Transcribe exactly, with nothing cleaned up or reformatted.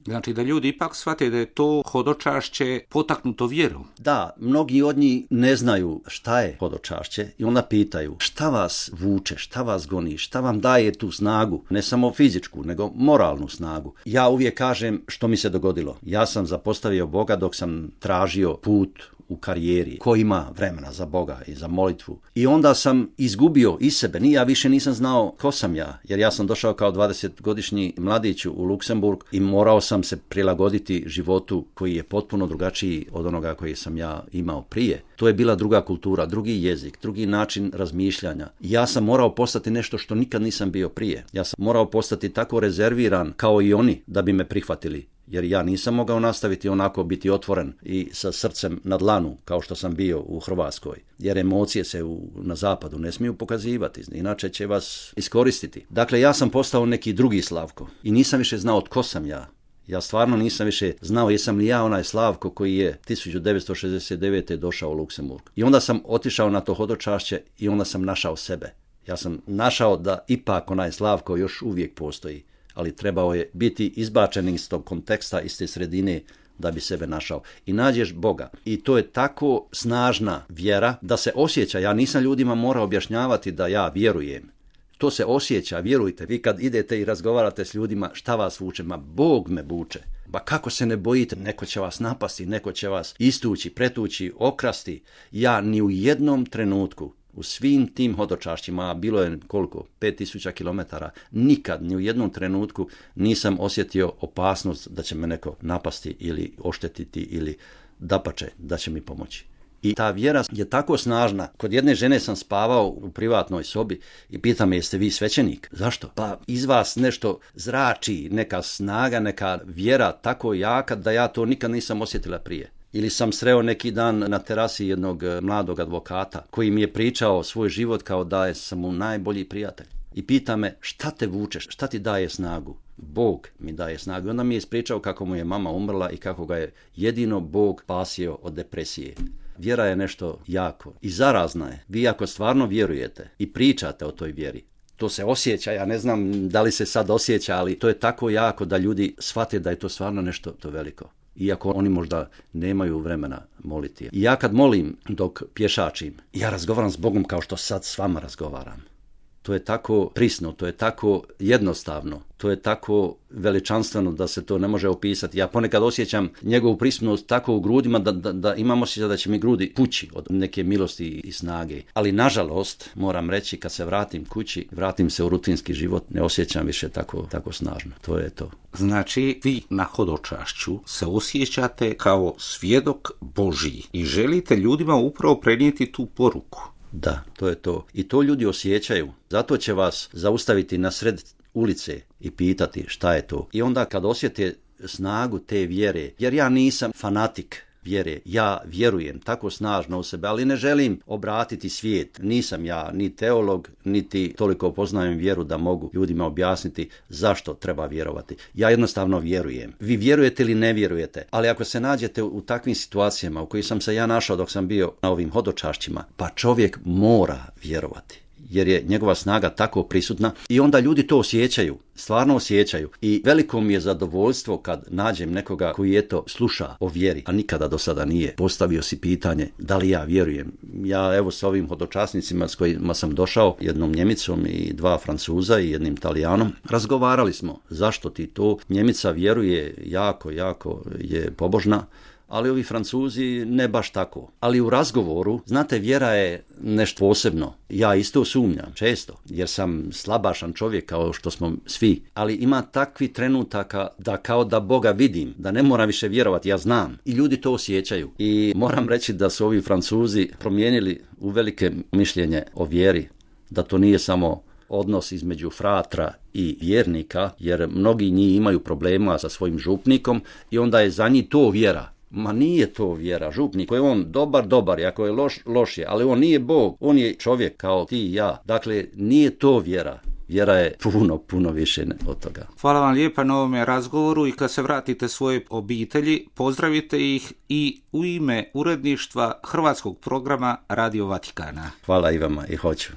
Znači da ljudi ipak shvate da je to hodočašće potaknuto vjerom. Da, mnogi od njih ne znaju šta je hodočašće i onda pitaju šta vas vuče, šta vas goni, šta vam daje tu snagu, ne samo fizičku, nego moralnu snagu. Ja uvijek kažem što mi se dogodilo. Ja sam zapostavio Boga dok sam tražio put u karijeri, ko ima vremena za Boga i za molitvu. I onda sam izgubio iz sebe, ni ja više nisam znao ko sam ja, jer ja sam došao kao dvadesetogodišnji mladić u Luksemburg i morao sam se prilagoditi životu koji je potpuno drugačiji od onoga koji sam ja imao prije. To je bila druga kultura, drugi jezik, drugi način razmišljanja. Ja sam morao postati nešto što nikad nisam bio prije. Ja sam morao postati tako rezerviran kao i oni da bi me prihvatili. Jer ja nisam mogao nastaviti onako biti otvoren i sa srcem na dlanu kao što sam bio u Hrvatskoj. Jer emocije se u, na zapadu ne smiju pokazivati, inače će vas iskoristiti. Dakle, ja sam postao neki drugi Slavko i nisam više znao tko sam ja. Ja stvarno nisam više znao jesam li ja onaj Slavko koji je tisuću devetsto šezdeset devete. došao u Luksemburg. I onda sam otišao na to hodočašće i onda sam našao sebe. Ja sam našao da ipak onaj Slavko još uvijek postoji, ali trebao je biti izbačen iz tog konteksta, iz te sredine da bi sebe našao. I nađeš Boga. I to je tako snažna vjera da se osjeća. Ja nisam ljudima morao objašnjavati da ja vjerujem. To se osjeća, vjerujte. Vi kad idete i razgovarate s ljudima, šta vas vuče? Ma Bog me vuče. Ba kako se ne bojite? Neko će vas napasti, neko će vas istući, pretući, okrasti. Ja ni u jednom trenutku u svim tim hodočašćima, a bilo je koliko? pet tisuća kilometara, nikad, ni u jednom trenutku nisam osjetio opasnost da će me neko napasti ili oštetiti ili dapače da će mi pomoći. I ta vjera je tako snažna. Kod jedne žene sam spavao u privatnoj sobi i pita me jeste vi svećenik? Zašto? Pa iz vas nešto zrači, neka snaga, neka vjera tako jaka da ja to nikad nisam osjetila prije. Ili sam sreo neki dan na terasi jednog mladog advokata koji mi je pričao svoj život kao da je sam mu najbolji prijatelj. I pita me šta te vučeš, šta ti daje snagu? Bog mi daje snagu. I onda mi je ispričao kako mu je mama umrla i kako ga je jedino Bog spasio od depresije. Vjera je nešto jako i zarazna je. Vi ako stvarno vjerujete i pričate o toj vjeri, to se osjeća, ja ne znam da li se sad osjeća, ali to je tako jako da ljudi shvate da je to stvarno nešto to veliko. Iako oni možda nemaju vremena moliti. I ja kad molim dok pješačim, ja razgovaram s Bogom kao što sad s vama razgovaram. To je tako prisno, to je tako jednostavno, to je tako veličanstveno da se to ne može opisati. Ja ponekad osjećam njegovu prisutnost tako u grudima da, da, da imam osjećaj da će mi grudi pući od neke milosti i snage. Ali nažalost, moram reći, kad se vratim kući, vratim se u rutinski život, ne osjećam više tako, tako snažno. To je to. Znači, vi na hodočašću se osjećate kao svjedok Božji i želite ljudima upravo prenijeti tu poruku. Da, to je to. I to ljudi osjećaju. Zato će vas zaustaviti na sred ulice i pitati šta je to. I onda kad osjete snagu te vjere, jer ja nisam fanatik vjere, ja vjerujem tako snažno u sebe, ali ne želim obratiti svijet. Nisam ja ni teolog, niti toliko poznajem vjeru da mogu ljudima objasniti zašto treba vjerovati. Ja jednostavno vjerujem. Vi vjerujete ili ne vjerujete, ali ako se nađete u takvim situacijama u kojih sam se ja našao dok sam bio na ovim hodočašćima, pa čovjek mora vjerovati. Jer je njegova snaga tako prisutna i onda ljudi to osjećaju, stvarno osjećaju. I veliko mi je zadovoljstvo kad nađem nekoga koji eto sluša o vjeri, a nikada do sada nije. Postavio si pitanje da li ja vjerujem. Ja evo s ovim hodočasnicima s kojima sam došao, jednom Njemicom i dva Francuza i jednim Talijanom, razgovarali smo zašto ti to. Njemica vjeruje jako, jako je pobožna, ali ovi Francuzi ne baš tako. Ali u razgovoru, znate, vjera je nešto posebno. Ja isto sumnjam, često, jer sam slabašan čovjek kao što smo svi. Ali ima takvi trenutaka da kao da Boga vidim, da ne moram više vjerovati, ja znam. I ljudi to osjećaju. I moram reći da su ovi Francuzi promijenili uvelike mišljenje o vjeri, da to nije samo odnos između fratra i vjernika, jer mnogi njih imaju problema sa svojim župnikom i onda je za njih to vjera. Ma nije to vjera, župnik je on dobar, dobar, i ako je loš, loš je, ali on nije Bog, on je čovjek kao ti i ja. Dakle, nije to vjera. Vjera je puno, puno više od toga. Hvala vam lijepa na ovome razgovoru i kad se vratite svoje obitelji, pozdravite ih i u ime uredništva hrvatskog programa Radio Vatikana. Hvala i vama i hoću.